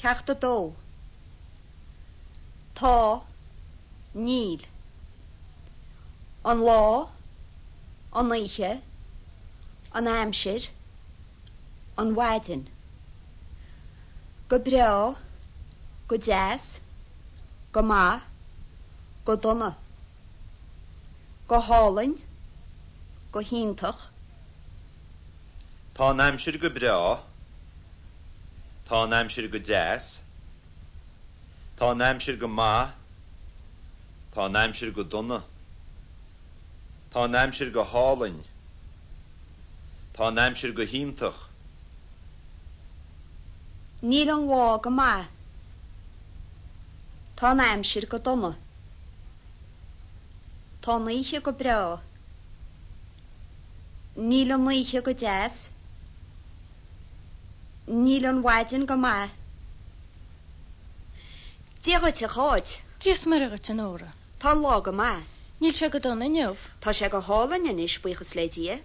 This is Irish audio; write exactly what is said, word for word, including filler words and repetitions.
Ceacht a dó. Tá, níl. An lá, an oíche, an aimsir, an mhaidin. Go breá, go deas, go maith, go dona. Go hálainn, go hiontach. Tá an aimsir go breá. Tá an aimsir go deas. Tá an aimsir go maith. Tá an aimsir go dona. Tá an aimsir go hálainn. Tá an aimsir go hiontach. Níl an lá go maith. Tá an aimsir go dona. Tá an oíche go breá. Níl an oíche go deas. Níl an mhaidin go maith. Dia dhuit a Cháit. Dia is Muire dhuit a Nóra. Tá an lá go maith. Níl sé go dona inniu. Tá sé go hálainn anois buíochas le Dia.